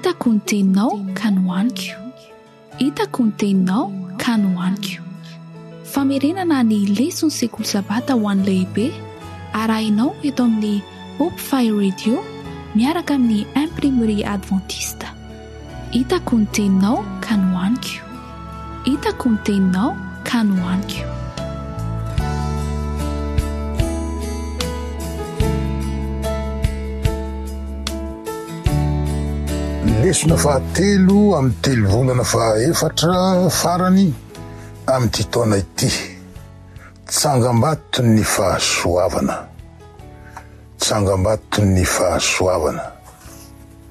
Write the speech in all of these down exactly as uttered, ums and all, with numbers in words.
Hitako ny teninao ka nohaniko. Hitako ny teninao ka nohaniko. Famerenana ny leson'ny sekoly sabata ho an'ny lehibe arahinao eto amin'ny Hope Fire Radio miaraka amin'ny Imprimerie Adventiste. Hitako ny teninao ka nohaniko. Hitako ny teninao ka nohaniko. Lesona fahatelo amin'ny telo volana fahaefatra farany amin'ity taona ity. Tsangambato ny fahasoavana. Tsangambato ny fahasoavana.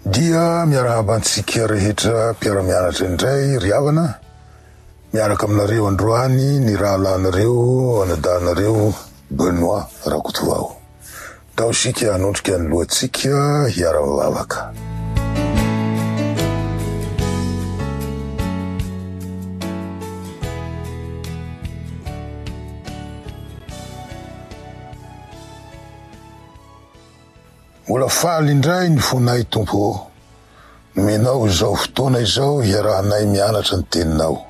Dia miarahaba antsika rehetra mpiara-mianatra indray ry havana. Miaraka aminareo androany ny rahalahinareo, anadahinareo Benoît Rakotovao. Tao isika hanondrika ny lohantsika hiara-mivavaka. Mbola faly indray ny fonay Tompo, nomenao izao fotoana izao hiarahanay mianatra ny teninao.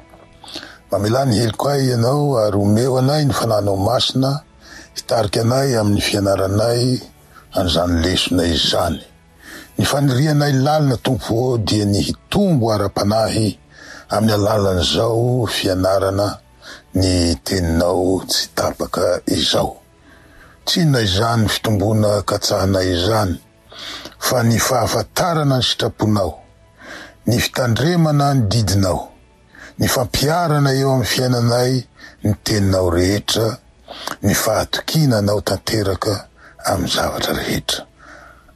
Mamelà ny helokay ianao ary omeo anay ny fanahinao masina hitarika anay amin'ny fianaranay an'izany lesona izany. Ny fanirianay lalina Tompo dia ny hitombo ara-panahy amin'ny alalan'izao fianarana ny teninao tsy tapaka izao. Tsy inona izany fitomboana katsahanay izany, fa ny fahafantarana ny sitraponao, ny fitandremana ny didinao, ny fampiharana eo amin'ny fiainanay ny teninao rehetra, ny fahatokiana anao tanteraka amin'ny zavatra rehetra.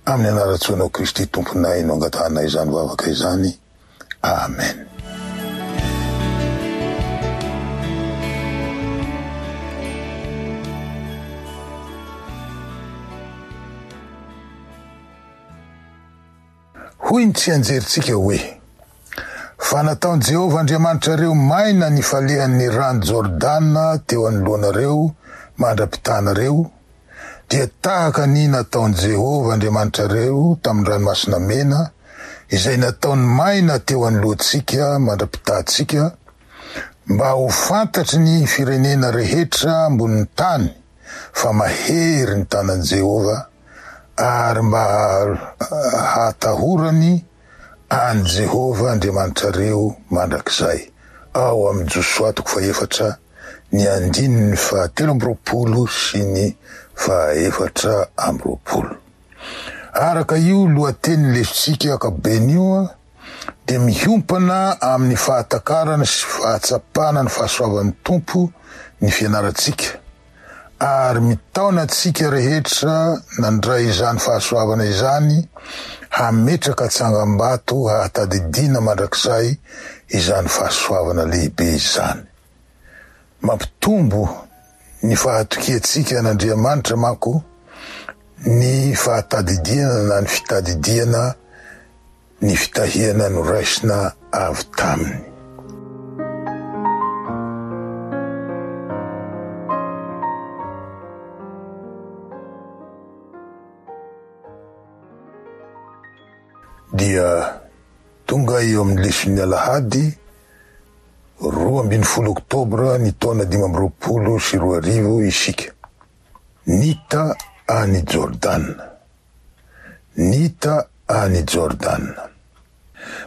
Amin'ny anaran-tsoanao Kristy Tomponay no angatahanay izany vavaka izany. Amen. Hoy ny tsianjerintsika hoe: fa nataon'i Jehovah Andriamanitrareo maina ny falehan'ny rano Jordana teo anoloanareo mandra-pitanareo, dia tahaka ny nataon'i Jehovah Andriamanitrareo tamin'ny ranomasina mena, izay nataony maina teo anoloantsika mandra-pitantsika, mba ho fantatry ny firenena rehetra ambonin'ny tany fa mahery ny tanan'i Jehovah, ary mba hatahorany an'i Jehovah Andriamanitrareo mandrakizay. Ao amin'ny Josoa toko fahefatra ny andininy fahatelo amby roapolo sy ny fahaefatra amby roapolo. Araka io lohateny lesontsika ankapobeny io dia miompana amin'ny fahatakarana sy fahatsapana ny fahasoavan'ny Tompo ny fianarantsika, ary mitaona antsika rehetra nandray izany fahasoavana izany hametraka tsangambato hahatadidiana mandrakizay izany fahasoavana lehibe izany. Mampitombo ny fahatokiantsika an'Andriamanitra manko ny fahatadidiana na ny fitadidiana ny fitahiana noraisina avy taminy. Dia tonga eo amin'ny leson'ny alahady roa ambin'ny folo oktobra ny taona dimy amby roapolo sy roa arivo isika. Nita any Jordana. Nita any Jordana.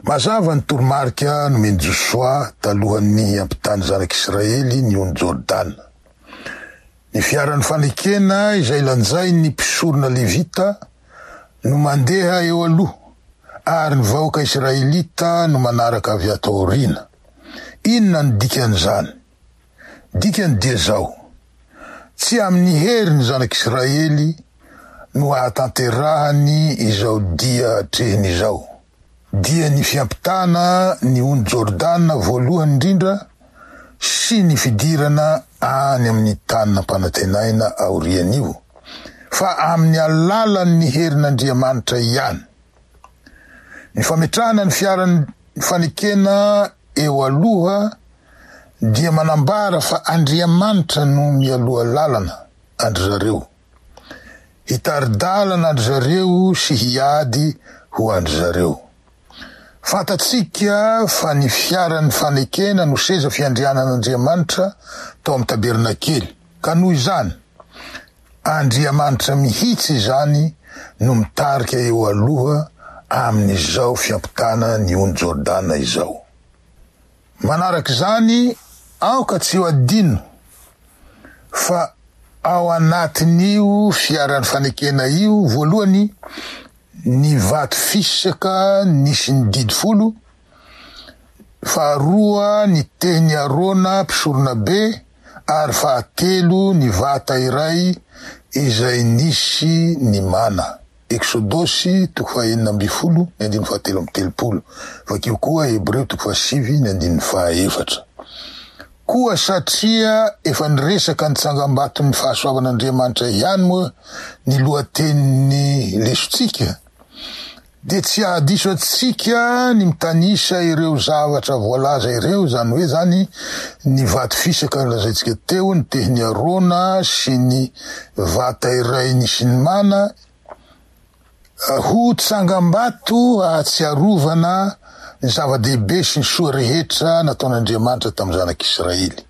Mazava ny toromarika nomen'i Josoa talohan'ny hiampitany zanak'Israely ny ony Jordana. Ny fiaran'ny fanekena izay lanjain'ny mpisorona Levita no mandeha eo aloha, ary ny vahoaka Israelita no manaraka avy ato aoriana. Inona ny dikan'izany? Dikany dia zao: tsy amin'ny hery ny zanak'Israely no ahatanterahany izao dia atrehiny izao, dia ny fiampitana ny ony Jordana voalohany indrindra sy ny fidirana any amin'ny tany nampanantenaina aorian'io, fa amin'ny alalan'ny herin'Andriamanitra ihany. Ny fametrahana ny fiaran'ny fanekena eo aloha dia manambara fa Andriamanitra no mialoha lalana andry zareo. Hitari-dalana andry zareo sy hiady ho andry zareo. Fantatsika fa ny fiaran'ny fanekena no seza fiandrianan'Andriamanitra tao amin'ny tabernakely. Ka noho izany, Andriamanitra mihitsy izany no mitarika eo aloha amin'izao fiampitana ny ony Jordana izao. Manaraka izany, aoka tsy ho adino fa ao anatin'io fiaran'ny fanekena io voalohany ny vato fisaka nisy ny didy folo, faharoa ny teny Arona mpisorona be, ary fahatelo ny vata iray izay nisy ny mana. Eksodosy toko fahaenina ambin'ny folo ny andininy fahatelo amby telopolo. Vakio koa Hebreo toko fahasivy ny andininy fahaefatra. Koa satria efa niresaka ny tsangambaton'ny fahasoavan'Andriamanitra ihany moa ny lohatenin'ny lesontsika, dia tsy hahadiso antsika ny mitanisa ireo zavatra voalaza ireo, izany hoe zany ny vato fisaka nolazaintsika teo, ny tehin'i Arona sy ny vata iray nisy ny mana, ho tsangambato ahatsiarovana ny zava-dehibe sy ny soa rehetra nataon'Andriamanitra tamin'ny zanak'Israely.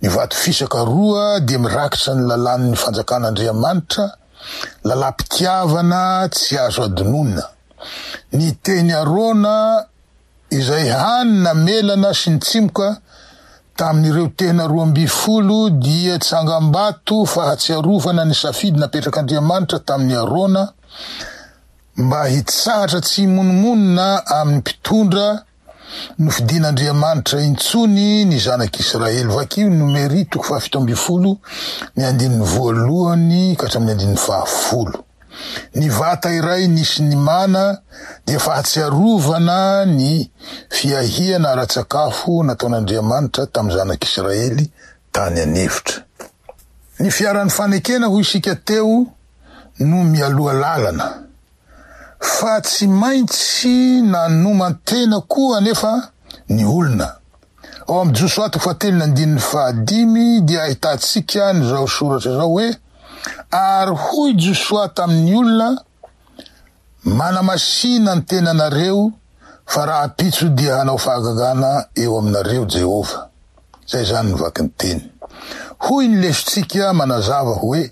Ny vato fisaka roa dia mirakitra ny lalàn'ny fanjakan'Andriamanitra, lalam-pitiavana tsy azo adinoina. Ny teny Arona izay hany namelana sy nitsimoka tamin'ireo tena roa amby folo dia tsangambato fahatsiarovana ny safidy napetrak'Andriamanitra tamin'ny Arona mba hitsahatra tsy himonomonona amin'ny mpitondra nofidin'Andriamanitra intsony ny zanak'Israely. Vakio ny Nomery toko fahafito amby folo ny andininy voalohany ka hatramin'ny andininy fahafolo. Ny vata iray nisy ny mana dia fahatsiarovana ny fiahiana ara-tsakafo nataon'Andriamanitra tamin'ny zanak'Israely tany an'efitra. Ny fiaran'ny fanekena hoy isika teo no mialoha lalana, fa tsy maintsy nanoman-tena koa anefa ny olona. Ao amin'ny Josoa toko fahatelo ny andininy fahadimy dia ahitantsika an'izao soratra izao hoe: ary hoy Josoa tamin'ny olona, manamasina ny tenanareo fa rahampitso dia hanao fahagagana eo aminareo Jehovah. Zay zany ny vaky ny teny. Hoy ny lesontsika manazava hoe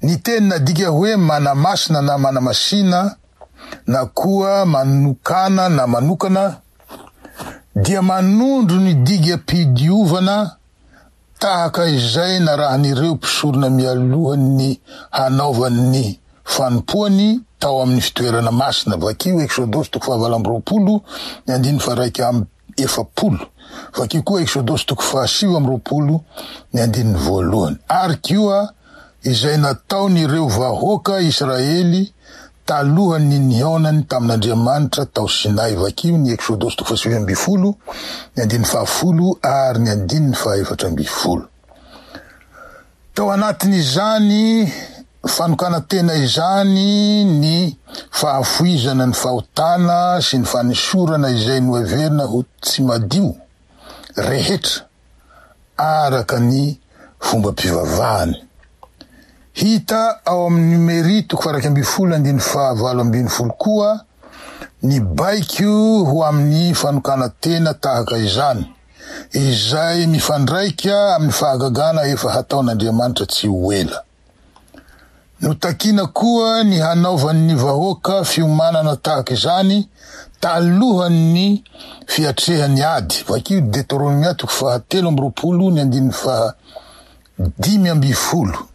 ny teny nadika hoe manamasina na manamasina na koa manokana na manokana dia manondro ny digam-pidiovana tahaka izay narahan'ireo mpisorona mialohan'ny hanaovan'ny fanompoany tao amin'ny fitoerana masina. Vakio Eksodosy toko fahavalo amby roapolo ny andininy faharaika amby efapolo. Vakio koa Eksodosy toko fahasivy amby roapolo ny andininy voalohany. Ary koa izay nataon'ireo vahoaka Israely talohan'ny nihaonany tamin'Andriamanitra tao Sinay. Vakio ny Eksodosy toko fahasivy amby folo ny andininy fahafolo ary ny andininy fahaefatra amby folo. Tao anatin'izany fanokana-tena izany ny fahafoizana ny fahotana sy ny fanisorana izay noheverina ho tsy madio rehetra araka ny fombam-pivavahany. Hita ao amin'ny Nomery toko faha-iraika ambin'ny folo andininy fahavalo ambin'ny folo koa ny baiko ho amin'ny fanokana-tena tahaka izany, izay mifandraika amin'ny fahagagana efa hataon'Andriamanitra tsy ho ela. Notakina koa ny hanaovan'ny vahoaka fiomanana tahaka izany talohan'ny fiatrehany ady. Vakio Deuteronomia toko fahatelo amby roapolo ny andininy faha dimy amby folo.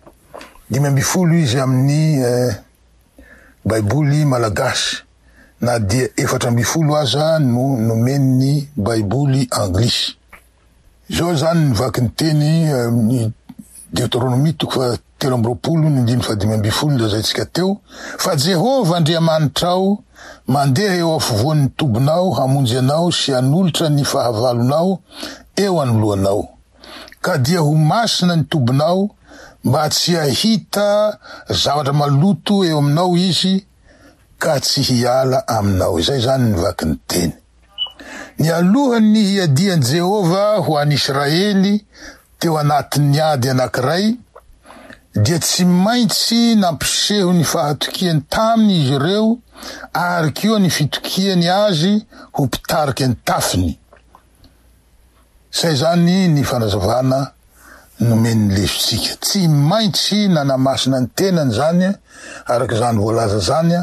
Dimy amby folo izy amin'ny eh, Baiboly malagasy, na dia efatra amby folo aza no nomen'ny Baiboly anglisy. Izao zany ny vaky ny teny amin'ny Deuteronomia toko fahatelo amby roapolo ny andininy fahadimy amby folo lazaintsika teo: fa Jehovah Andriamanitrao mandeha eo afovoan'ny tobinao hamonjy anao sy hanolotra ny fahavalonao eo anoloanao. Ka dia ho masina ny tobinao mba tsy hahita zavatra maloto eo aminao izy ka tsy hiala aminao. Izay zany ny vaky ny teny. Ny alohan'ny hiadian'i Jehovah ho an'Israely teo anatin'ny ady anankiray dia tsy maintsy nampiseho ny fahatokiany taminy izy ireo ary koa ny fitokiany azy ho mpitarika ny tafiny. Izay izany ny fanazavana nomen'ny lesontsika. Tsy maintsy nanamasina ny tenany izany, araka izany voalaza izany,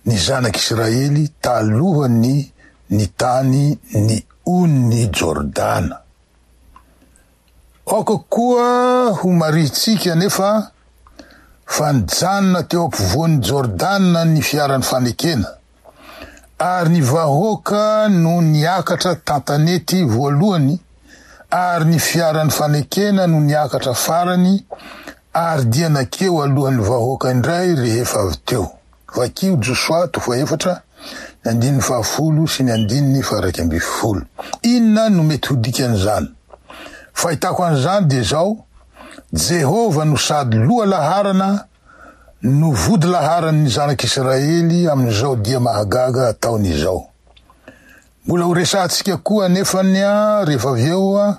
ny zanak'Israely talohan'ny nitany ny onin'i Jordana. Aoka koa ho marihintsika anefa fa nijanona teo ampovoan'i Jordana ny fiaran'ny fanekena, ary ny vahoaka no niakatra tantanety voalohany, ary ny fiaran'ny fanekena no niakatra farany, ary dia nakeo alohan'ny vahoaka indray rehefa avy teo. Vakio Josoa toko fahefatra, ny andininy fahafolo sy ny andininy faha-iraika ambin'ny folo. Inona no mety ho dikan'izany? Fahitako an'izany dia izao, Jehovah no sady loha laharana no vody laharan'ny zanak'Israely amin'izao dia mahagaga ataony izao. Mbola ho resahantsika koa anefa ny rehefa avy eo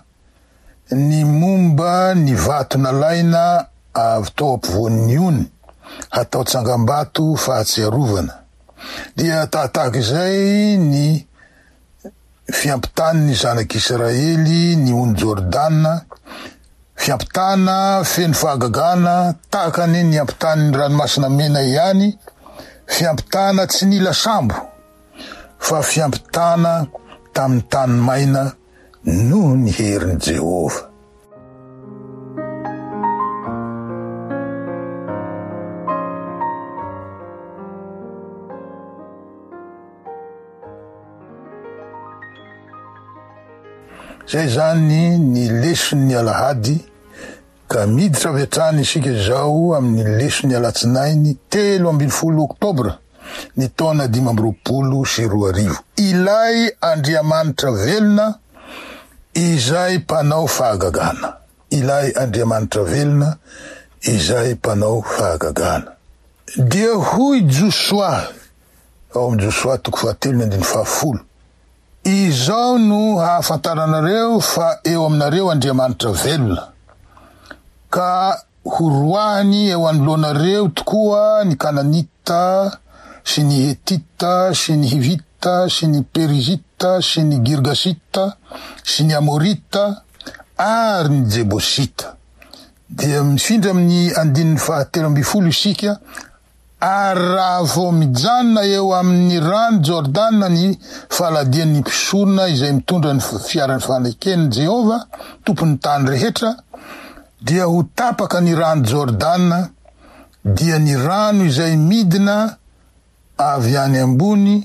ny momba ny vato nalaina avy tao ampovoan'ny ony hatao tsangambato fahatsiarovana. Dia tahatahaka izay ny fiampitan'ny zanak'Israely ny ony Jordana, fiampitana feno fahagagana tahaka ny niampitan'ny ranomasina mena ihany, fiampitana tsy nila sambo fa fiampitana tamin'ny tany maina noho ny herin'i Jehovah. Izay izany ny leson'ny alahady, ka miditra avy hatrany isika izao amin'ny leson'ny alatsinainy telo ambin'ny folo oktobra ny taona dimy amby roapolo sy roa arivo. Ilay Andriamanitra velona izay mpanao fahagagana. Ilay Andriamanitra velona izay mpanao fahagagana. Dia hoy Josoa, ao amin'ny Josoa toko fahatelo ny andininy fahafolo, izao no hahafantaranareo fa eo aminareo Andriamanitra velona, ka horoahany eo anoloanareo tokoa ny Kananita sy ny Hetita sy ny Hivita sy ny Perizita sy ny Girgasita sy ny Amorita ary ny Jebosita. Dia mifindra amin'ny andininy fahatelo ambin'ny folo isika, ary raha vao mijanona eo amin'ny rano Jordana ny faladian'ny mpisorona izay mitondra ny fiaran'ny faneken'i Jehovah, tompon'ny tany rehetra, dia ho tapaka ny rano Jordana, dia ny rano izay midina avy any ambony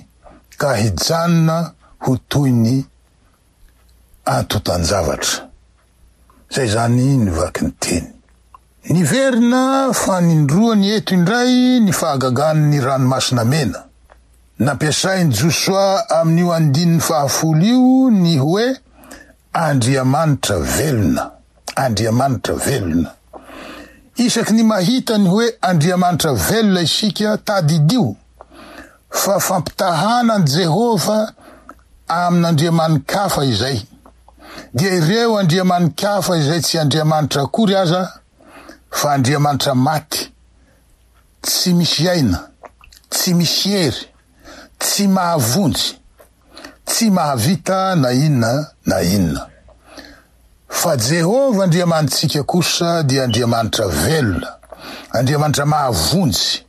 ka hijanona ho toy ny antontan-javatra. Izay izany ny vaky ny teny. Niverina fanindroany eto indray ny fahagagan'ny ranomasina mena. Nampiasain'i Josoa amin'io andininy fahafolo io ny hoe Andriamanitra velona. Andriamanitra velona. Isaky ny mahita ny hoe Andriamanitra velona isika, tadidio fa fampitahana an'i Jehovah amin'Andriamani-kafa izay. Dia ireo Andriamani-kafa izay tsy Andriamanitra akory aza, fa Andriamanitra maty, tsy misy aina, tsy misy hery, tsy mahavonjy, tsy mahavita na inona na inona. Fa Jehovah Andriamanitsika kosa dia Andriamanitra velona, Andriamanitra mahavonjy,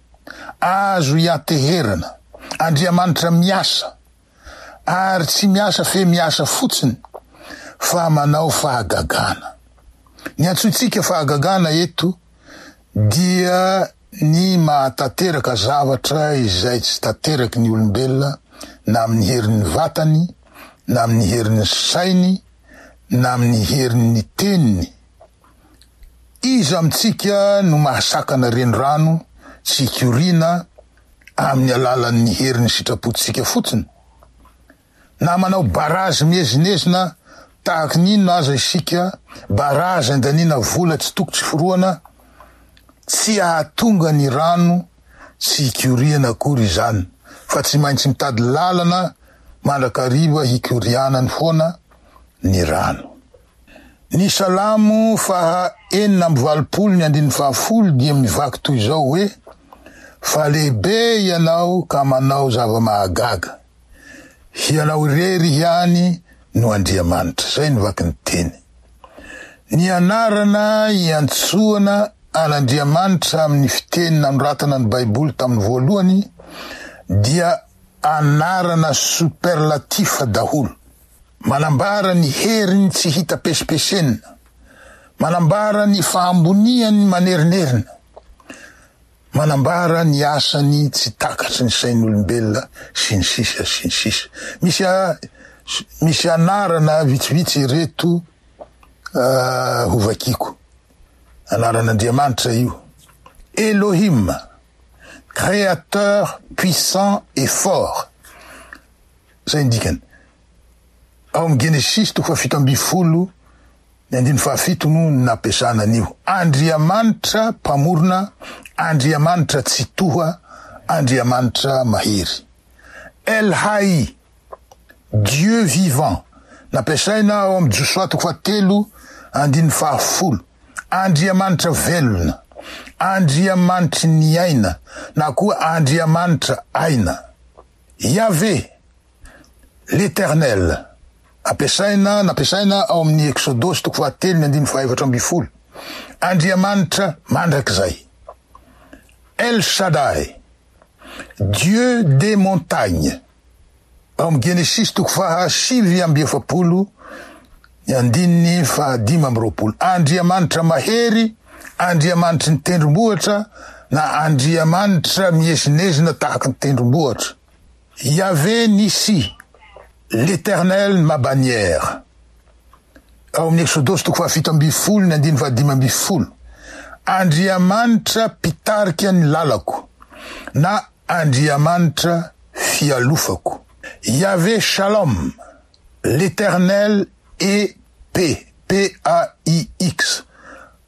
azo ianteherana, Andriamanitra miasa, ary tsy miasa fe miasa fotsiny, fa manao fahagagana. Ny antsointsika fahagagana eto dia ny mahatanteraka zavatra izay tsy tanteraky ny olombelona, na amin'ny herin'ny vatany, na amin'ny herin'ny sainy, na amin'ny herin'ny teniny. Iza amintsika no mahasakana renirano tsy hikoriana amin'ny alalan'ny herin'ny sitrapontsika fotsiny? Na manao barazy miezinezina tahaky ny inona aza isika, barazy andaniana vola tsy toko tsy forohana, tsy hahatonga ny rano tsy hikoriana akory izany, fa tsy maintsy mitady lalana mandrakariva hikorianany foana ny rano. Ny Salamo faha enina amby valopolo ny andininy fahafolo dia mivaky toy izao hoe: fa lehibe ianao ka manao zava-mahagaga, hianao irery ihany no Andriamanitra. Zay ny vaky ny teny. Ny anarana iantsoana an'Andriamanitra amin'ny fiteny nanoratana ny Baiboly tamin'ny voalohany dia anarana superlatif daholo, manambara ny heriny tsy hita pesipesenina, manambara ny fahamboniany manerinerina, manambara ny asany tsy takatry ny sain'olombelona sy ny sisa sy ny sisa. Misy misy anarana vitsivitsy ireto uh, hovakiko. Anaran'Andriamanitra io: Elohim, créateur puissant et fort. Zay ny dikany. Ao amin'ny Genesis toko fahafito amby folo ny andininy fahafito no nampiasana an'io. Andriamanitra mpamorona, Andriamanitra tsitoha, Andriamanitra mahery. El Hai, Dieu vivant, nampiasaina ao amin'ny Josoa toko fahatelo andininy fahafolo. Andriamanitra velona, Andriamanitry ny aina, na koa Andriamanitra aina. Yahvé, l'Éternel, ampiasaina nampiasaina ao amin'ny Eksodosy toko fahatelo ny andininy fahaefatra amby folo. Andriamanitra mandrakizay. El Shaddai, Dieu des montagnes, ao amin'ny Genesis toko fahasivy amby efapolo ny andininy fahadimy amby roapolo. Andriamanitra mahery, Andriamanitry ny tendrombohitra na Andriamanitra miezinezina tahaky ny tendrombohitra. Yahvé Nissi, l'Éternel ma bannière, ao amin'ny Eksodosy toko fahafito amby folo ny andininy fahadimy amby folo. Andriamanitra mpitarika ny lalako na Andriamanitra fialofako. Yahvé Shalom, l'Éternel est paix, P A I X,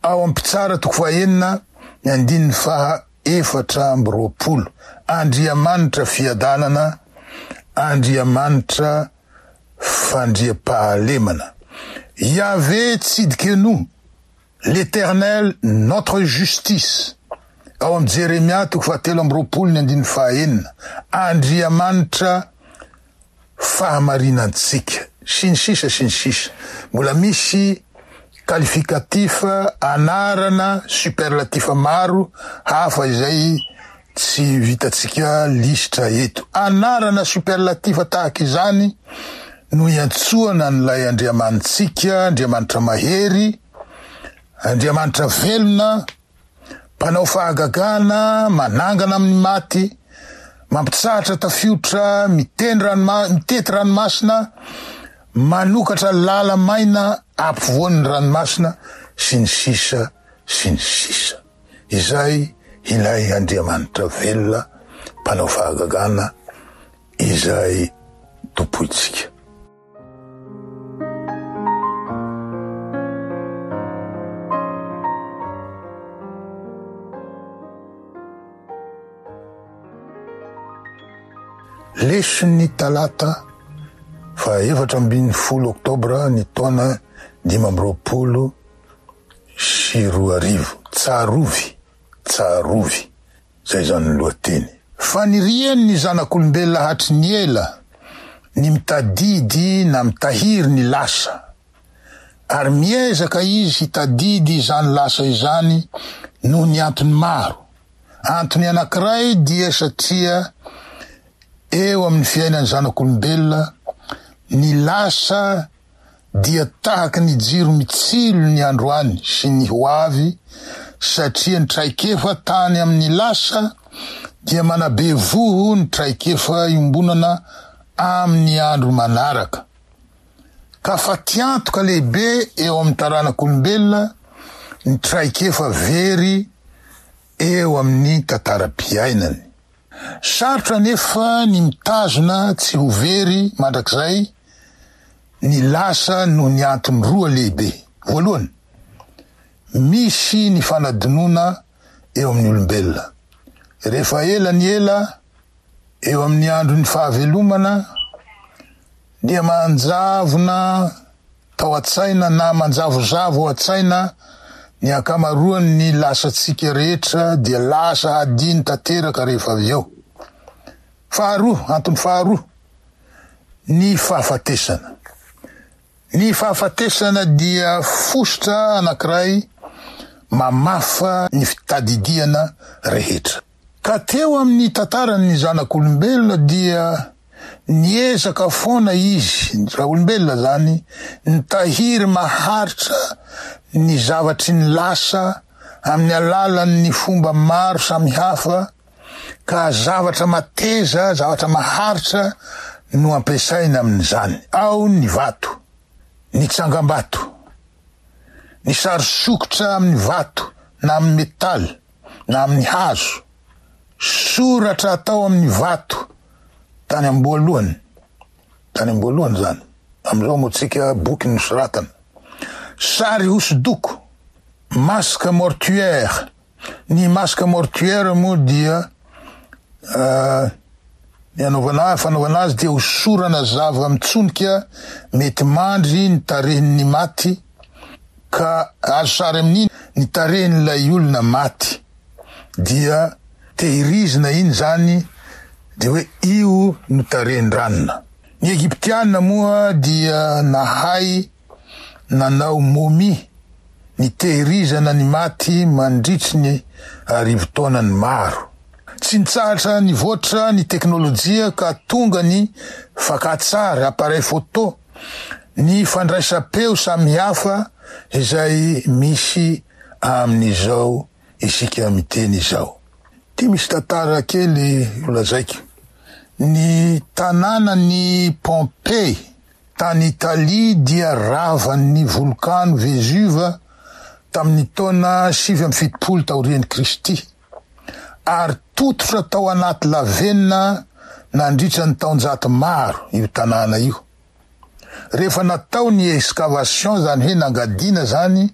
ao amin'ny Mpitsara toko fahenina ny andininy faha efatra amby roapolo. Andriamanitra fiadanana, Andriamanitra fandriampahalemana. Yahvé Tsidkenu, l'Éternel notre justice, ao amin'ny Jeremia toko fahatelo amby roapolo ny andininy fahaenina. Andriamanitra fahamarinantsika, sy ny sisa sy ny sisa. Mbola misy qualificatif, anarana superlatif maro hafa izay tsy vitatsika lisitra eto. Anarana superlatif tahaka izany no iantsoana an'ilay Andriamanitsika, Andriamanitra mahery, Andriamanitra velona, mpanao fahagagana, manangana amin'ny maty, mampitsahatra tafiotra, miteny ranoma-, mitety ranomasina, manokatra lala maina ampovoan'ny ranomasina sy ny sisa sy ny sisa. Izay ilay Andriamanitra velona, mpanao fahagagana, izay tompointsika. Leson'ny talata fa efatra ambin'ny folo oktobra ny taona dimy amby roapolo sy roa arivo. Tsarovy, tsarovy, zay zany ny lohateny. Fanirian'ny zanak'olombelona hatry ny ela ny mitadidy na mitahiry ny lasa, ary miezaka izy hitadidy izany lasa izany noho ny antony maro. Antony anankiray dia satria eo amin'ny fiainan'ny zanak'olombelona ny lasa dia tahaky ny jiro mitsilo ny androany sy ny ho avy, satria ny traikefa tany amin'ny lasa dia manabe voho ny traikefa iombonana amin'ny andro manaraka. Ka fatiantoka lehibe eo amin'ny taranak'olombelona ny traikefa very eo amin'ny tantaram-piainany. Sarotra nefa ny mitazona tsy ho very mandrakizay ny lasa noho ny antony roa lehibe. Voalohany, misy ny fanadinoana eo amin'ny olombelona. Rehefa ela ny ela eo amin'ny andron'ny fahavelomana dia manjavona tao an-tsaina na manjavozavo ao an-tsaina ny ankamaroan'ny lasantsika rehetra dia lasa hadino tanteraka rehefa avy eo. Faharoa, antony faharoa, ny fahafatesana. Ny fahafatesana dia fositra anankiray mamafa ny fitadidiana rehetra. Ka teo amin'ny tantaran'ny zanak'olombelona dia niezaka foana izy, raha olombelona zany, nitahiry maharitra ny zavatry ny lasa amin'ny alalan'ny fomba maro samihafa, ka zavatra mateza, zavatra maharitra no ampiasaina amin'izany. Ao ny vato, ny tsangambato, ny sary sokitra amin'ny vato na amin'ny metaly na amin'ny hazo, soratra atao amin'ny vato tany amboalohany, tany amboalohany zany, am'izao moa tsika boky nosoratana, sary hosodoko, masque mortuaire. Ny masque mortuaire moa dia uh, ny anaovana fanaovana azy dia hosorana zava mitsonika mety mandry ny tarehin'ny maty, ka azo sary amin'iny ny tarehin'ilay olona maty, dia tehirizina iny zany, dia hoe io no tarehin-dranona. Ny Egyptiana moa dia nahay nanao momie, ny tehirizana ny maty mandritry ny arivo taonany maro. Tsy nitsahatra nivoatra ny teknôlôjia ka tonga ny fakan-tsary, appareil photo, ny fandraisam-peo samihafa izay misy amin'izao isika miteny izao. Ty misy tantara kely holazaiko. Ny tanànan'i Pompei tany Italia dia ravan'ny volkano Vesuve tamin'ny taona sivy amby fitopolo taorian'i Kristy, ary tototra tao anaty lavenona nandritra ny taonjato maro io tanàna io. Rehefa natao ny excavation, zany hoe nangadina zany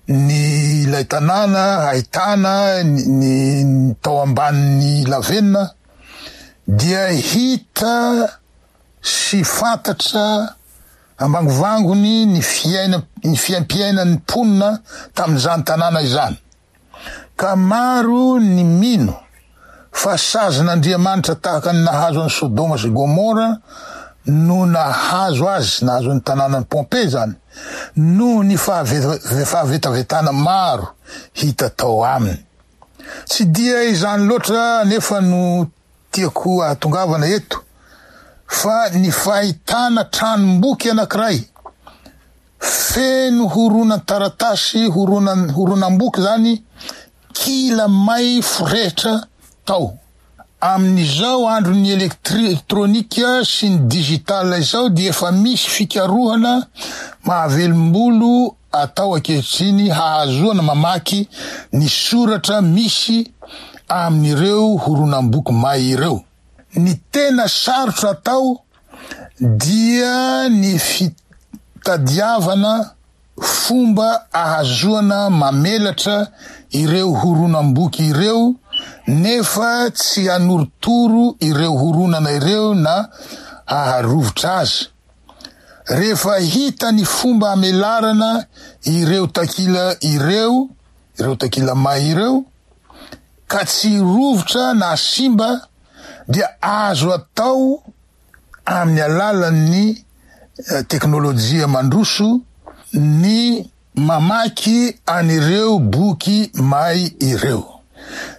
ny ilay tanàna ahitana ny, ny tao ambanin'ny lavenona, dia hita sy fantatra ambangovangony ny fiaina, ny fiaimpiainan'ny mponina tamin'izany tanàna izany. Ka maro ny mino fa sazin'Andriamanitra tahaka ny nahazo an'i Sodoma sy Gomora no nahazo azy, nahazo ny tanànan'i Pompei zany, noho ny fahave-, fahavetavetana maro hita tao aminy. Tsy dia izany loatra nefa no tiako ahatongavana eto, fa ny fahitana tranomboky anankiray feno horonan-taratasy, horonan-, horonam-boky zany, kila may forehitra tao. Amin'izao andron'ny elektri-, elektronika sy ny digital izao dia efa misy fikarohana mahavelombolo atao ankehitriny hahazoana mamaky ny soratra misy amin'ireo horonam-boky may ireo. Ny tena sarotra atao dia ny fitadiavana fomba ahazoana mamelatra ireo horonam-boky ireo, nefa tsy hanorotoro ireo horonana ireo na haharovitra azy. Rehefa hita ny fomba amelarana ireo takila ireo, ireo takila may ireo, ka tsy rovitra na simba, dia azo atao amin'ny alalan'ny teknôlôjia mandroso ny mamaky an'ireo boky may ireo.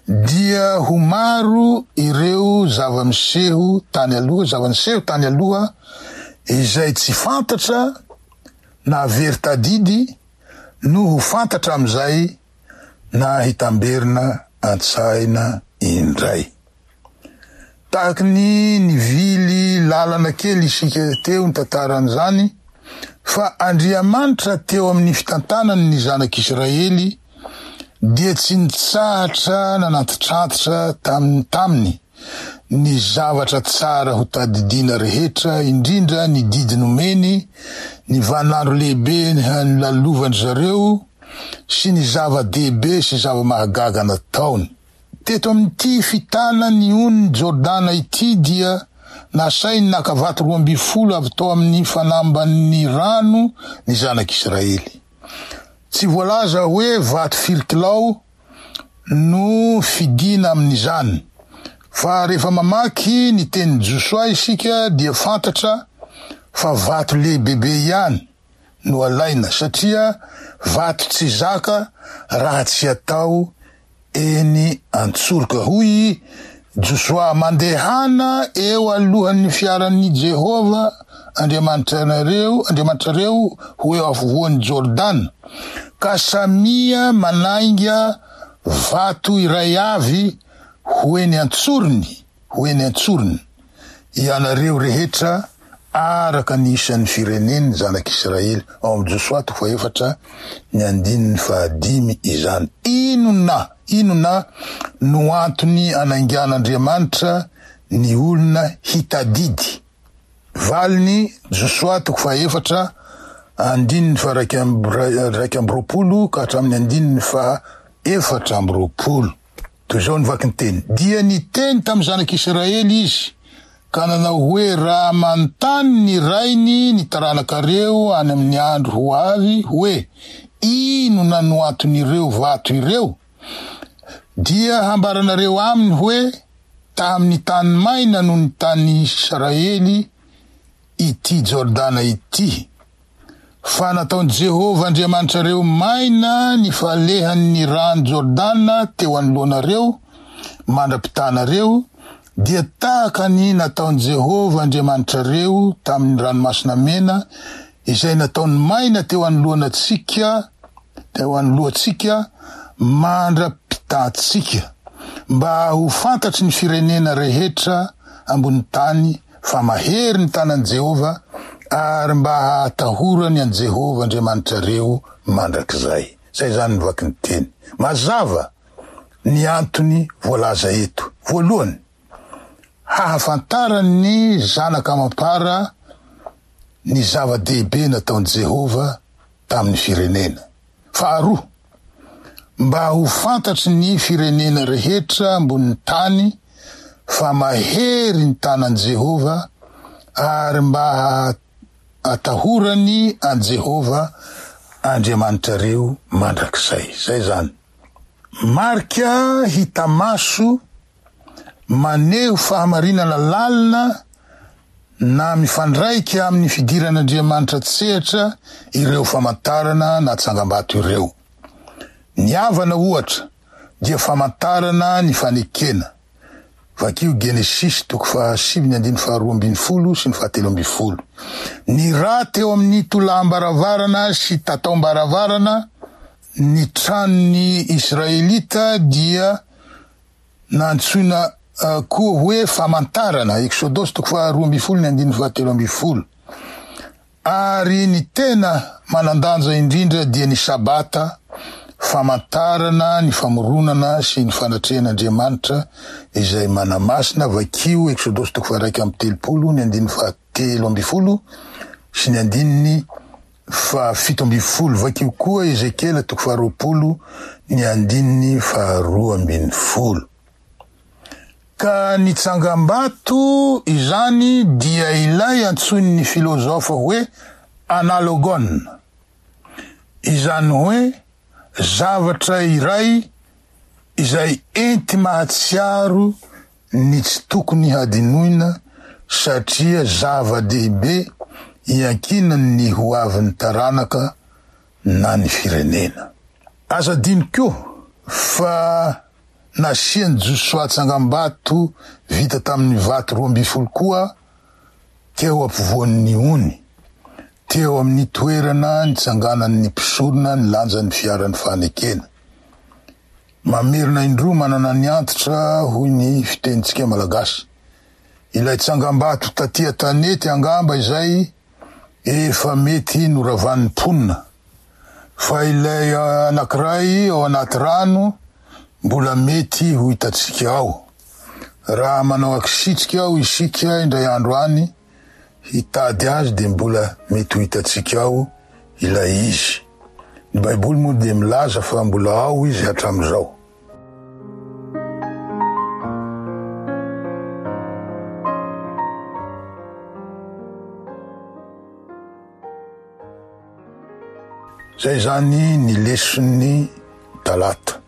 Dia ho maro ireo zava-miseho tany aloha, zava-niseho tany aloha izay tsy fantatra na very tadidy no ho fantatra amin'izay na hitamberina an-tsaina indray. Tahaky ny nivily lalana kely isika teo ny tantaran'izany, fa Andriamanitra teo amin'ny fitantanany ny zanak'Israely dia tsy nitsahatra nanantitrantitra tam-, taminy ny zavatra tsara ho tadidiana rehetra, indrindra ny didy nomeny, ny vaninandro lehibe nilalovan-dry zareo sy ny zava-dehibe sy zava-mahagaga nataony. Teto amin'ity fitana ny ony Jordana ity dia Nasainy naka vato roa ambin'ny folo avy tao amin'ny fanamban'ny rano ny zanak'Israely. Tsy voalaza hoe vato firy kilao no fidina amin'izany, fa rehefa mamaky ny tenin'i Josoa isika dia fantatra fa vato lehibebe ihany no alaina, satria vato tsy zaka raha tsy atao eny an-tsoroka. Hoy Josoa: mandehana eo alohan'ny fiaran'i Jehovah Andriamanitrareo, Andriamanitrareo ho eo afovoan'i Jordana, ka samia manainga vato iray avy ho eny an-tsorony, ho eny an-tsorony ianareo rehetra araka ny isan'ny firenen'ny zanak'Israely. Ao amin'ny Josoa toko fahaefatra ny andininy fahadimy izany. Inona, inona no antony anaingan'Andriamanitra ny olona hitadidy? Valiny: Josoa toko fahaefatra andininy faha iraika amby roapolo ka hatramin'ny andininy faha efatra amby roapolo. Toy izao ny vakinteny: dia niteny tamin'ny zanak'Israely izy ka nanao hoe, raha manontany ny rainy ny taranakareo any amin'ny andro ho avy hoe, inona no anton'ireo vato ireo, dia hambaranareo aminy hoe, tamin'ny tany maina no ny tany Israely ity Jordana ity, fa nataon'i Jehovah Andriamanitrareo maina ny falehan'ny rano Jordana teo anoloanareo mandra-pitanareo, dia tahaka ny nataon'i Jehovah Andriamanitrareo tamin'ny ranomasina mena izay nataony maina teo anoloantsika, teo anoloantsika mandra-pitantsika, mba ho fantatry ny firenena rehetra ambony tany fa mahery ny tanan'i Jehovah, ary mba hahatahorany an'i Jehovah Andriamanitrareo mandrakizay. Zay zany ny vaky ny teny. Mazava ny antony voalaza eto. Voalohany, hahafantarany zanaka amam-para ny zava-dehibe nataon'i Jehovah tamin'ny firenena. Faharoa, mba ho fantatry ny firenena rehetra ambonin'ny tany fa mahery ny tanan'i Jehovah, ary mba atahorany an'i Jehovah Andriamanitrareo mandrakizay. Zay zany. Marika hita maso maneho fahamarinana lalina na mifandraika amin'ny fidiran'Andriamanitra tsehatra ireo famantarana na tsangambato ireo. Ny avana ohatra dia famantarana ny fanekena. Vakio Genesisy toko fahasivy ny andininy faharoa ambin'ny folo sy ny fahatelo ambin'ny folo. Ny rà teo amin'ny tolaham-baravarana sy tataom-baravarana ny tranon'ny Israelita dia nantsoina koa hoe famantarana. Eksodosy toko faharoa ambin'ny folo ny andininy fahatelo ambin'ny folo. Ary ny tena manan-danja indrindra dia ny Sabata, famantarana ny famoronana sy ny fanatrehan'Andriamanitra izay manamasina. Vakio Eksodosy toko faha-iraika amby telopolo ny andininy fahatelo ambin'ny folo sy ny andininy fahafito ambin'ny folo. Vakio koa Ezekiela toko faharoapolo ny andininy faharoa ambin'ny folo. Ka ny tsangambato izany dia ilay antsoin'ny filozofa hoe analogon, izany hoe zavatra iray izay enti mahatsiaro ny tsy tokony hadinoina, satria zava-dehibe iankinan'ny ho avin'ny taranaka na ny firenena. Aza adino koa fa nasian'i Josoa tsangambato vita tamin'ny vato roa ambin'ny folo koa teo ampovoan'ny ony, teo amin'ny toerana nitsanganan'ny mpisorona ny lanjan'ny fiaran'ny fanekena. Mamerina indroa manana ny antitra, hoy ny fitenintsika malagasy. Ilay tsangambato taty an-tanety angamba izay efa mety noravan'ny mponina, fa ilay anankiray ao anaty rano mbola mety ho hitantsika ao. Raha manao akisitrika ao isika indray andro any hitady azy dia mbola mety ho hitantsika ao ilay izy. Ny Baiboly moa dia milaza fa mbola ao izy hatramin'izao. Zay zany ny leson'ny talata.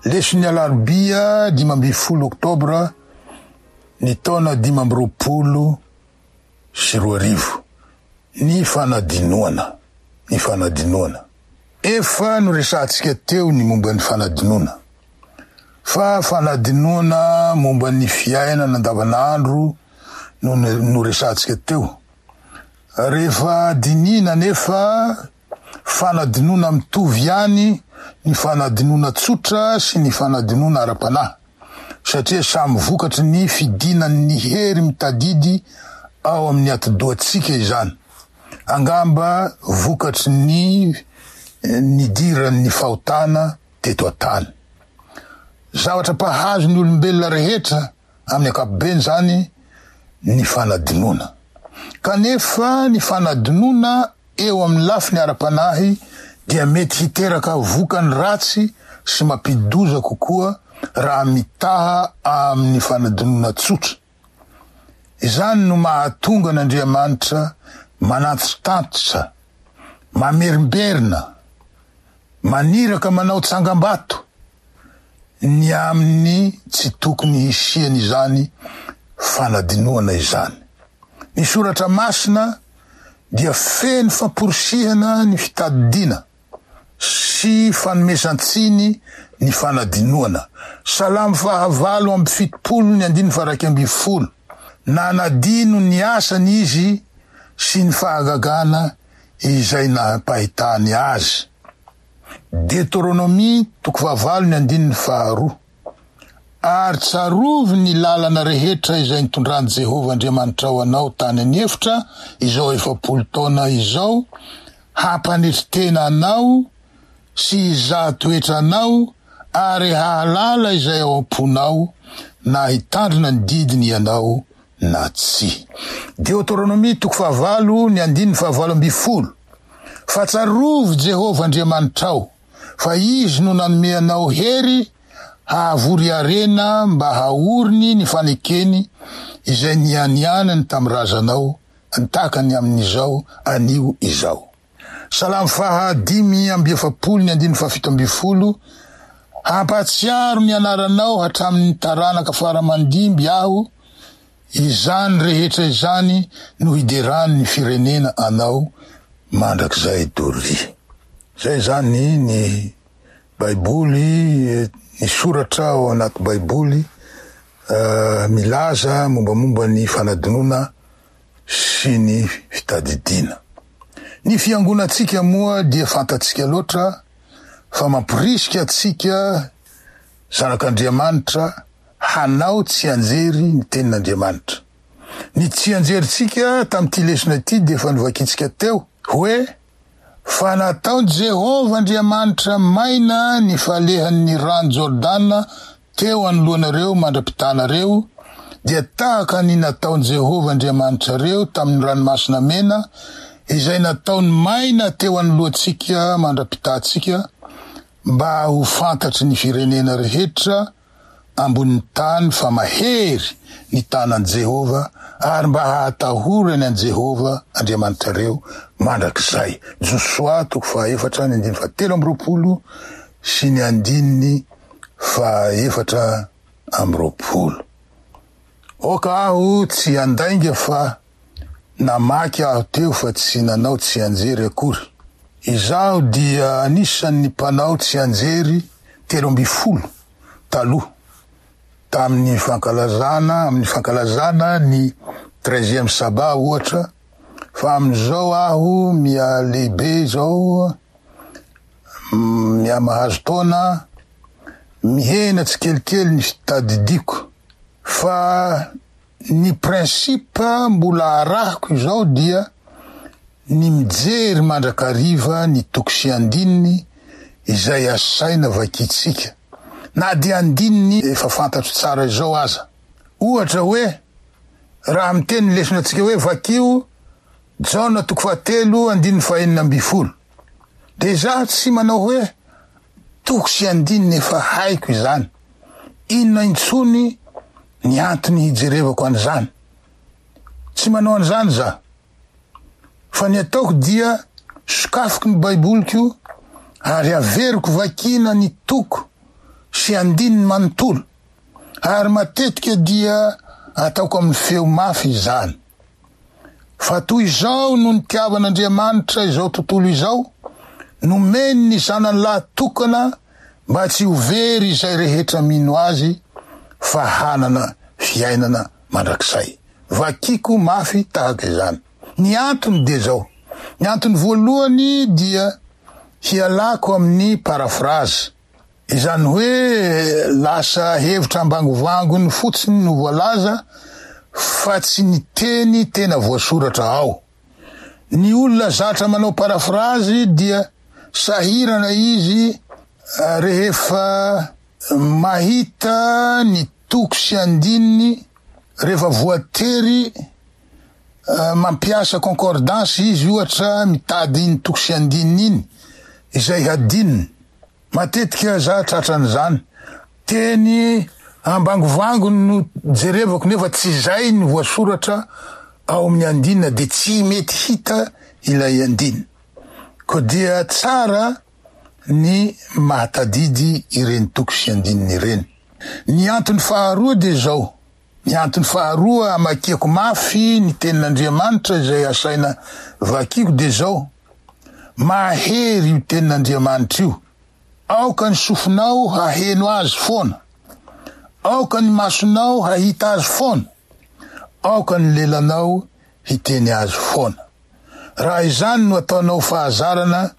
Leson'ny alarobia dimy ambin'ny folo oktobra ny taona dimy amby roapolo sy roa arivo. Ny fanadinoana, ny fanadinoana. Efa noresahantsika teo ny momba ny fanadinoana. Fa fanadinoana momba ny fiainana andavanandro no noresahantsika teo. Rehefa dinihina nefa fanadinoana mitovy ihany ny fanadinoana tsotra sy ny fanadinoana ara-panahy, satria samy vokatry ny fidinan'ny hery mitadidy ao amin'ny atidohantsika izany. Angamba vokatry ny nidiran'ny fahotana teto an-tany. Zavatra mpahazo ny olombelona rehetra amin'ny ankapobeny zany ny fanadinoana. Kanefa ny fanadinoana eo amin'ny lafiny ara-panahy dia mety hiteraka vokany ratsy sy mampidoza kokoa raha mitaha amin'ny fanadinoana tsotra. Izany no mahatonga an'Andriamanitra manantitrantitra, mamerimberina, maniraka manao tsangambato ny amin'ny tsy tokony hisiany izany fanadinoana izany. Ny soratra masina dia feno famporisihana ny fitadidiana sy fanomezan-tsiny ny fanadinoana. Salamo fahavalo amby fitopolo ny andininy faha-iraika ambin'ny folo. Nanadino ny asany izy sy ny fahagagana izay nampahitany azy. Deuteronomia toko fahavalo ny andininy faharoa. Ary tsarovy ny lalana rehetra izay nitondran'i Jehovah Andriamanitrao anao tany an'efitra izao efapolo taona izao, hampanetry tena anao sy hizaha toetra anao ary hahalala izay ao am-ponao na hitandrina ny didiny ianao na tsia. Deuteronomia toko fahavalo ny andininy fahavalo ambin'ny folo. Fa tsarovy Jehovah Andriamanitrao, fa izy no nanome anao hery hahavory harena mba haoriny ny fanekeny izay nianianany tamin'ny razanao antakany amin'izao anio izao. Salamo faha dimy amby efapolo ny andininy fahafito ambin'ny folo. Hampatsiaro ny anaranao hatramin'ny taranaka faramandimby aho, izany rehetra izany no hiderany ny firenena anao mandrakizay doria. Zay zany ny Baiboly, ny soratra ao anaty Baiboly milaza mombamomba ny fanadinoana sy ny fitadidiana. Ny fiangonantsika moa dia fantatsika loatra fa mampirisika antsika zanak'Andriamanitra hanao tsianjery ny tenin'Andriamanitra. Ny tsianjerintsika tamin'ity lesona ity dia efa novakintsika teo hoe fa nataon'i Jehovah Andriamanitra maina ny falehan'ny rano Jordana teo anoloanareo mandra-pitanareo, dia tahaka ny nataon'i Jehovah Andriamanitrareo tamin'ny ranomasina mena izay nataony maina teo anoloantsika mandra-pitantsika, mba ho fantatry ny firenena rehetra ambonin'ny tany fa mahery ny tanan'i Jehovah ary mba hahatahorany an'i Jehovah Andriamanitrareo mandrakizay. Josoa toko fahaefatra ny andininy fahatelo amby roapolo sy ny andininy fahaefatra amby roapolo. Oka aho tsy handainga fa namaky aho teo fa tsy nanao tsianjery akory. Izaho dia anisan'ny mpanao tsianjery telo ambin'ny folo taloha tamin'ny fankalazana, amin'ny fankalazana ny treizième sabbat ohatra, fa amin'izao aho miha lehibe izao, miha mahazo taona, mihena tsikelikely ny fitadidiko. Fa ny principe mbola arahiko izao dia ny mijery mandrakariva ny toko sy andininy izay asaina vakitsika, na dia andininy efa fantatro tsara izao aza. Ohatra hoe raha miteny ny lesona antsika hoe vakio Jaona toko fahatelo andininy fahenina ambin'ny folo, dia izaho tsy manao hoe toko sy andininy efa haiko izany, inona intsony ny antony hijerevako an'izany. Tsy manao an'izany za, fa ny ataoko dia sokafiko ny Baiboliko Ary averiko vakiana ny toko sy andininy manontolo. Ary matetika dia ataoko amin'ny feo mafy izany. Fa toy izao no nitiavan'Andriamanitra izao tontolo izao, nomeny ny zanany lahy tokana mba tsy ho very izay rehetra mino azy fa hanana fiainana mandrakizay. Vakiko mafy tahaka izany. Ny antony dia zao. Ny antony voalohany dia hialako amin'ny paraphrase. Izany hoe lasa hevitra ambangovangony fotsiny no voalaza fa tsy ny teny tena voasoratra ao. Ny olona zatra manao paraphrase dia sahirana izy rehefa mahita ny toko sy andininy, rehefa voatery mampiasa concordance izy, ohatra mitady iny toko sy andininy iny izay hadininy. Matetika za tratran'izany. Teny ambangovangony no jerevako nefa tsy izay ny voasoratra ao amin'ny andinina, dia tsy mety hita ilay andinina. Koa dia tsara ny mahatadidy ireny toko sy andininy ireny. Ny antony faharoa dia zao. Ny antony faharoa amakiako mafy ny tenin'Andriamanitra izay asaina vakiko dia zao. Mahery io tenin'Andriamanitra io. Aoka ny sofinao haheno azy foana. Aoka ny masonao hahita azy foana. Aoka ny lelanao hiteny azy foana. Raha izany no ataonao fahazarana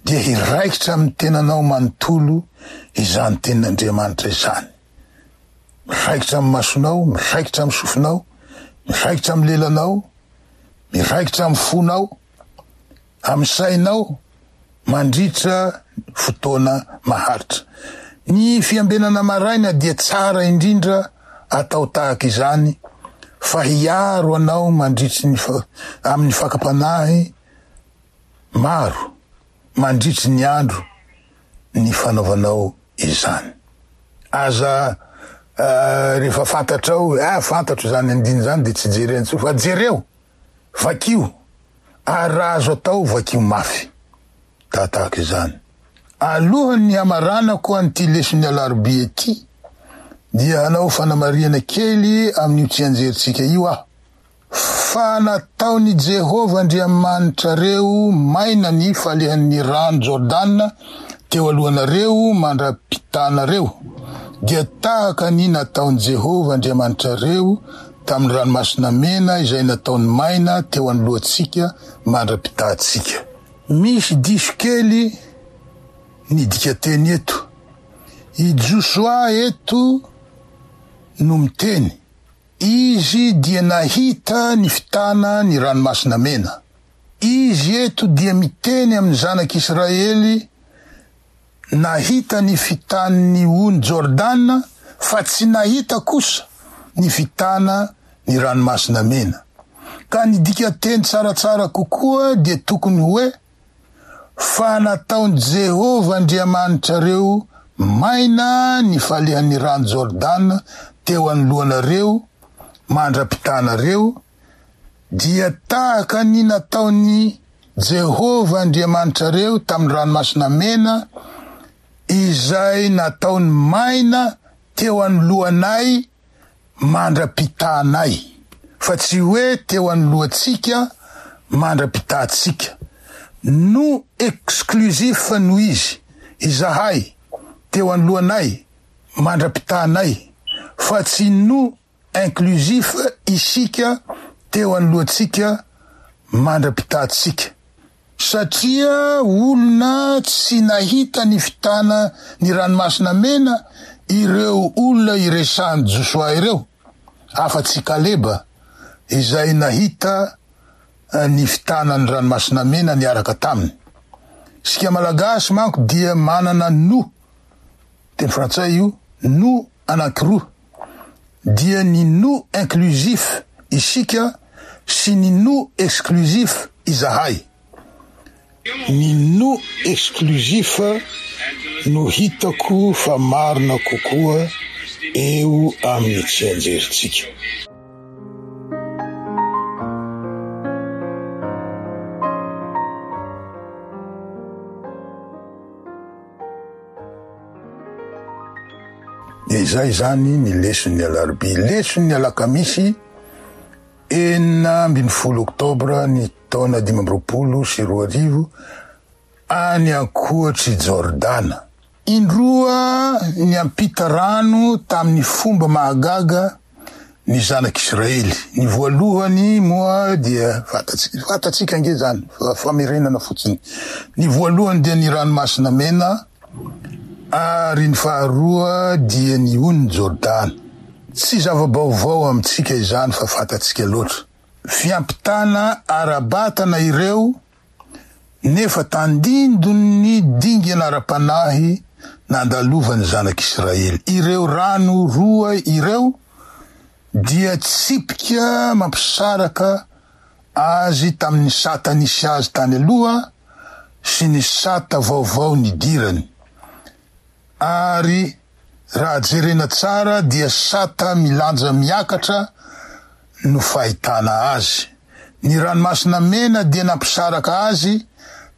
dia hiraikitra amin'ny tenanao manontolo izany tenin'Andriamanitra izany. Miraikitra amin'ny masonao, miraikitra amin'ny sofinao, miraikitra amin'ny lelanao, miraikitra amin'ny fonao, amin'ny sainao mandritra fotoana maharitra. Ny fiambenana maraina dia tsara indrindra atao tahaka izany fa hiaro anao mandritry ny fa-, amin'ny fakam-panahy maro mandritry ny andro ny fanaovanao izany. Aza, eh, rehefa fantatrao, ah, fantatro izany andiny izany dia tsy jerena intsony, fa jereo, vakio, ary raha azo atao vakio mafy. Tahatahaka izany. Alohan'ny hamaranako an'ity leson'ny alarobia ity dia hanao fanamarihana kely amin'io tsianjerintsika io aho. Fa nataon'i Jehovah Andriamanitrareo maina ny falehan'ny rano Jordana teo alohanareo mandra-pitanareo, dia tahaka ny nataon'i Jehovah Andriamanitrareo tamin'ny ranomasina mena izay nataony maina teo anoloantsika mandra-pitantsika. Misy diso kely ny dikateny eto. I Josoa eto no miteny. Izy dia nahita ny fitana ny ranomasina mena. Izy eto dia miteny amin'ny zanak'Israely nahita ny fitan'ny ony Jordana fa tsy nahita kosa ny fitana ny ranomasina mena. Ka ny dikateny tsaratsara kokoa dia tokony hoe fa nataon'i Jehovah Andriamanitrareo maina ny falehan'ny rano Jordana teo anoloanareo mandra-pitanareo, dia tahaka ny nataon'i Jehovah Andriamanitrareo tamin'ny ranomasina mena izay nataony maina teo anoloanay mandra-pitanay, fa tsy hoe teo anoloantsika mandra-pitantsika. No exclusif no izy, izahay teo anoloanay mandra-pitanay, fa tsy no inclusif isika teo anoloantsika mandra-pitantsika. Satria olona tsy nahita ny fitana ny ranomasina mena ireo olona iresahan'i Josoa ireo, afa-tsy Kaleba izay nahita ny fitana ny ranomasina mena niaraka taminy. Isika Malagasy manko dia manana no, teny frantsay io, no anankiroa, dia ny no inclusif isika sy ny no exclusif izahay. Ny no exclusif no hitako fa marina kokoa eo amin'ny tsianjerintsika. Izay izany ny leson'ny alarobia. Leson'ny alakamisy enina ambin'ny folo oktobra ny taona dimy amby roapolo sy roa arivo, any ankoatr'i Jordana. Indroa niampita rano tamin'ny fomba mahagaga ny zanak'Israely. Ny voalohany moa dia fantatsika, fantatsika ange zany, fa famerenana fotsiny. Ny voalohany dia ny ranomasina mena, ary ny faharoa dia ny ony Jordana. Tsy zava-baovao amintsika izany fa fantatsika loatra. Fiampitana ara-batana ireo, nefa tandindon'ny dingana ara-panahy nandalovan'ny zanak'Israely. Ireo rano roa ireo dia tsipika mampisaraka azy tamin'ny sata nisy azy tany aloha sy ny sata vaovao nidirany. Ary raha jerena tsara dia sata milanja miakatra no fahitana azy. Ny ranomasina mena dia nampisaraka azy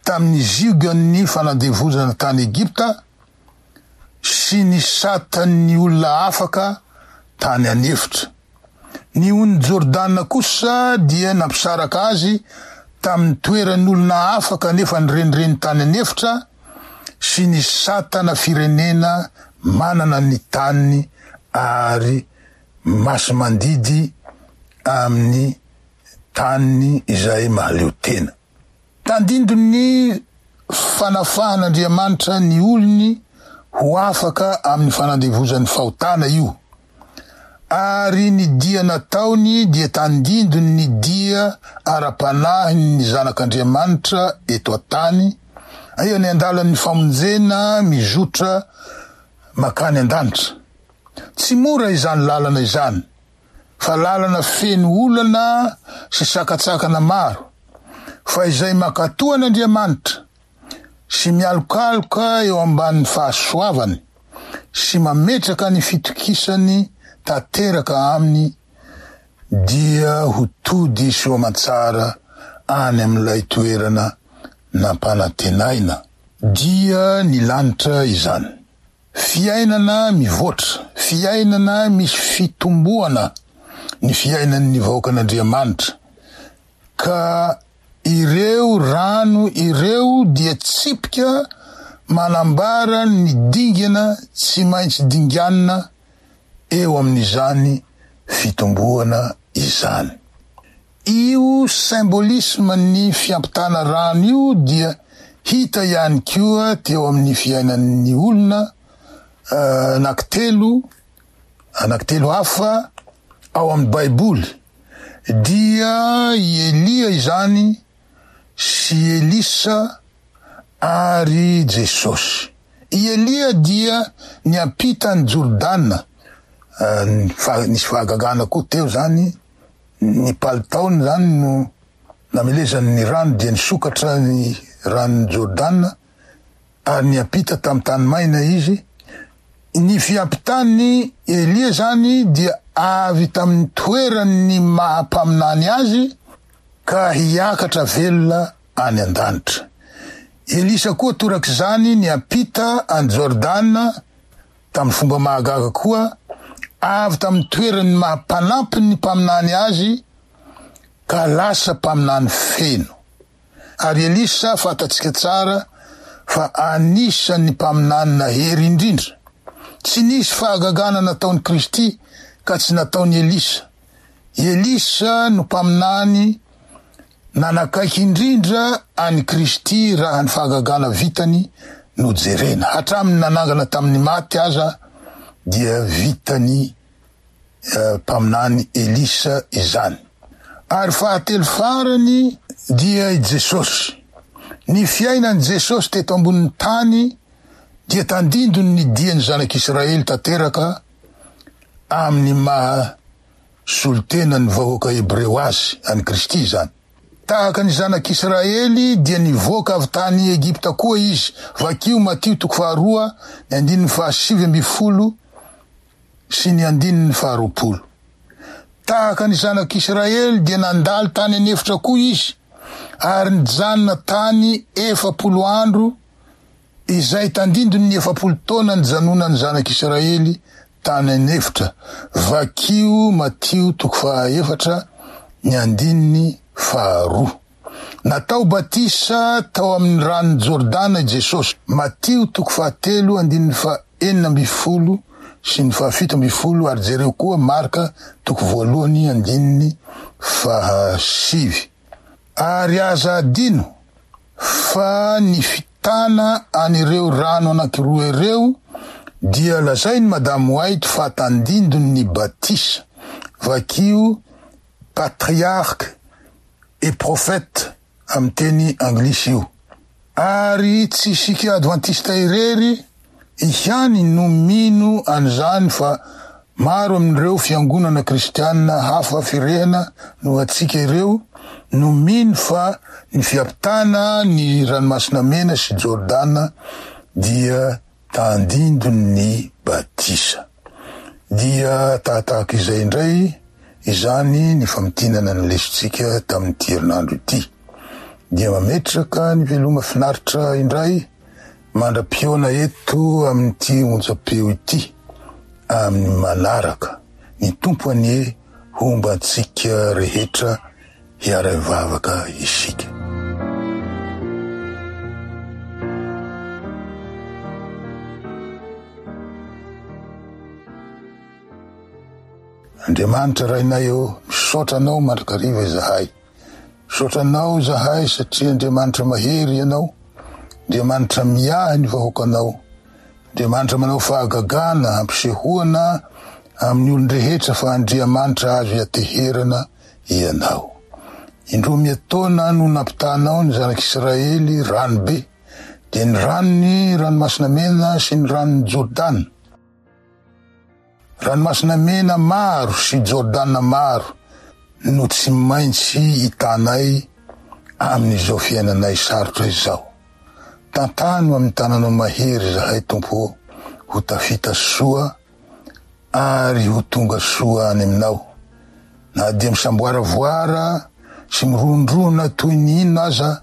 tamin'ny ziogan'ny fanandevozana tany Egypta sy ny satan'ny olona afaka tany an'efitra. Ny ony Jordana kosa dia nampisaraka azy tamin'ny toeran'olona afaka nefa nirenireny tany an'efitra sy ny satana firenena manana ny taniny ary masimandidy amin'ny taniny izay mahaleo tena. Tandindon'ny fanafahan'Andriamanitra ny olony ho afaka amin'ny fanandevozan'ny fahotana io. Ary ny dia nataony dia tandindon'ny dia ara-panahin'ny zanak'Andriamanitra eto an-tany, eo ny andalan'ny famonjena mizotra makany an-danitra. Tsy mora izany lalana izany, fa lalana feno olana sy sakatsakana maro, fa izay mankatoa an'Andriamanitra sy mialokaloka eo ambanin'ny fahasoavany sy mametraka ny fitokisany tanteraka aminy dia ho tody soa aman-tsara any amin'ilay toerana nampanantenaina, dia ny lanitra izany. Fiainana mivoatra, fiainana misy fitomboana ny fiainan'ny vahoakan'Andriamanitra, ka ireo rano ireo dia tsipika manambara ny dingana tsy maintsy dinganina eo amin'izany fitomboana izany. Io symbolisme ny fiampitana rano io dia hita ihany koa teo amin'ny fiainan'ny olona anankitelo, anankitelo hafa ao amin'ny Baiboly. Dia i Elia izany sy Elisa ary Jesosy. I Elia dia niampita ny Jordana. Nisy fahagagana koa teo zany, ny palitaony zany no namelezany ny rano dia nisokatra ny ranon'i Jordana ary niampita tamin'ny tany maina izy. Ny fiampitany Elia zany dia avy tamin'ny toeran'ny maha mpaminany azy ka hiakatra velona any an-danitra. Elisa koa torak'izany niampita an'i Jordana tamin'ny fomba mahagaga koa, avy tamin'ny toeran'ny maha mpanampy ny mpaminany azy ka lasa mpaminany feno. Ary Elisa fantatsika tsara fa anisan'ny mpaminany nahery indrindra. Tsy nisy fahagagana nataon'i Kristy ka tsy nataon'i Elisa. Elisa no mpaminany nanakaiky indrindra an'i Kristy raha ny fahagagana vitany no jerena. Hatramin'ny nanangana tamin'ny maty aza dia vitany mpaminany Elisa izany. Ary fahatelo farany dia i Jesosy. Ny fiainan'i Jesosy teto ambonin'ny tany dia tandindon'ny dian'ny zanak'Israely tanteraka amin'ny maha solontenan'ny vahoaka hebreo azy, an'i Kristy izany. Tahaka ny zanak'Israely dia nivoaka avy tany Egypta koa izy. Vakio Matio toko faharoa, ny andininy fahasivy ambin'ny folo sy ny andininy faharoapolo. Tahaka ny zanak'Israely dia nandalo tany an'efitra koa izy ary nijanona tany efapolo andro, izay tandindon'ny efapolo taona nijanonan'ny zanak'Israely tany an'efitra. Vakio Matio toko fahaefatra ny andininy faharoa. Natao batisa tao amin'ny ranon'i Jordana i Jesosy. Matio toko fahatelo andininy fahenina ambin'ny folo sy ny fahafito ambin'ny folo ary jereo koa Marka toko voalohany andininy fahasivy. Ary aza adino fa ny fitana an'ireo rano anankiroa ireo dia lazainy Madame White fa tandindon'ny batisa. Vakio Patriarche et prophète amin'ny teny anglisy io. Ary tsy isika advantista irery ihany no mino an'izany fa maro amin'ireo fiangonana kristianina hafa firehana no antsika ireo no mino fa ny fiampitana ny ranomasina mena sy Jordana dia tandindon'ny batisa. Dia tahatahaka izay indray izany ny famintinana ny lesontsika tamin'ity herinandro ity. Dia mametraka ny veloma finaritra indray mandra-pihaona eto amin'ity onjam-peo ity amin'ny manaraka. Ny Tompo anie homba antsika rehetra hiara-hivavaka isika. Andriamanitra Rainay ô, misaotra Anao mandrakariva izahay. Misaotra Anao izahay satria Andriamanitra mahery Ianao, Andriamanitra miahy ny vahoakanao, Andriamanitra manao fahagagana hampisehoana amin'ny olon-drehetra fa Andriamanitra azo iateherana Ianao. Indroa miataona no nampitanao ny zanak'Israely rano be, dia ny ranony ranomasina mena sy ny ranon'i Jordana. Ranomasina mena maro sy Jordana maro no tsy maintsy hitanay amin'izao fiainanay sarotra izao. Tantano amin'ny tananao mahery izahay Tompo, ho tafita soa ary ho tonga soa any aminao. Na dia misamboaravoara sy mirondrona toy ny inona aza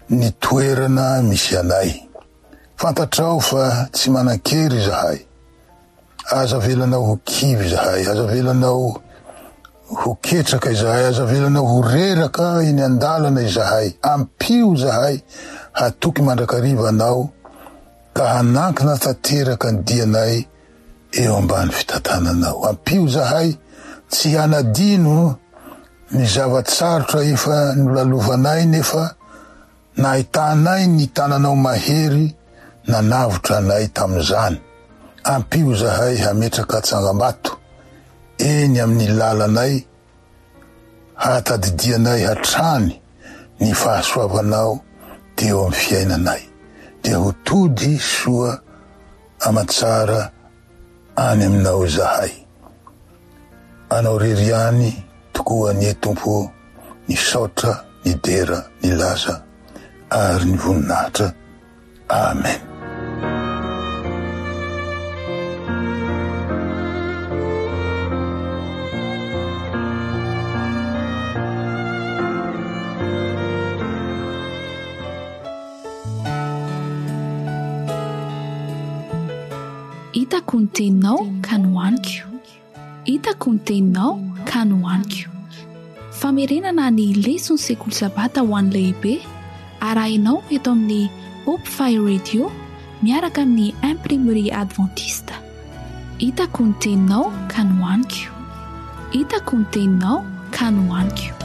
ny toerana misy anay. Fantatrao fa tsy manan-kery izahay. Aza avelanao ho kivy izahay, aza avelanao ho ketraka izahay, aza avelanao ho reraka eny an-dalana izahay. Ampio izahay hatoky mandrakariva anao ka hanankina tanteraka ny dianay eo ambany fitantananao. Ampio izahay tsy hanadino ny zava-tsarotra efa nolalovanay nefa nahitanay ny tananao mahery nanavotra anay tamin'izany. Ampio izahay hametraka tsangambato eny amin'ny lalanay hahatadidianay hatrany ny fahasoavanao teo amin'ny fiainanay. Dia ho tody soa aman-tsara any aminao izahay. Anao rery ihany tokoa anie Tompo ny saotra, ny dera, ny laza ary ny voninahitra. Amen. Hitako ny teninao ka nohaniko. Hitako ny teninao ka nohaniko. Famerenana ny leson'ny sekoly sabata ho an'ny lehibe arahinao eto amin'ny Hope Fire Radio miaraka amin'ny Imprimerie Adventiste. Hitako ny teninao ka nohaniko. Hitako ny teninao ka nohaniko.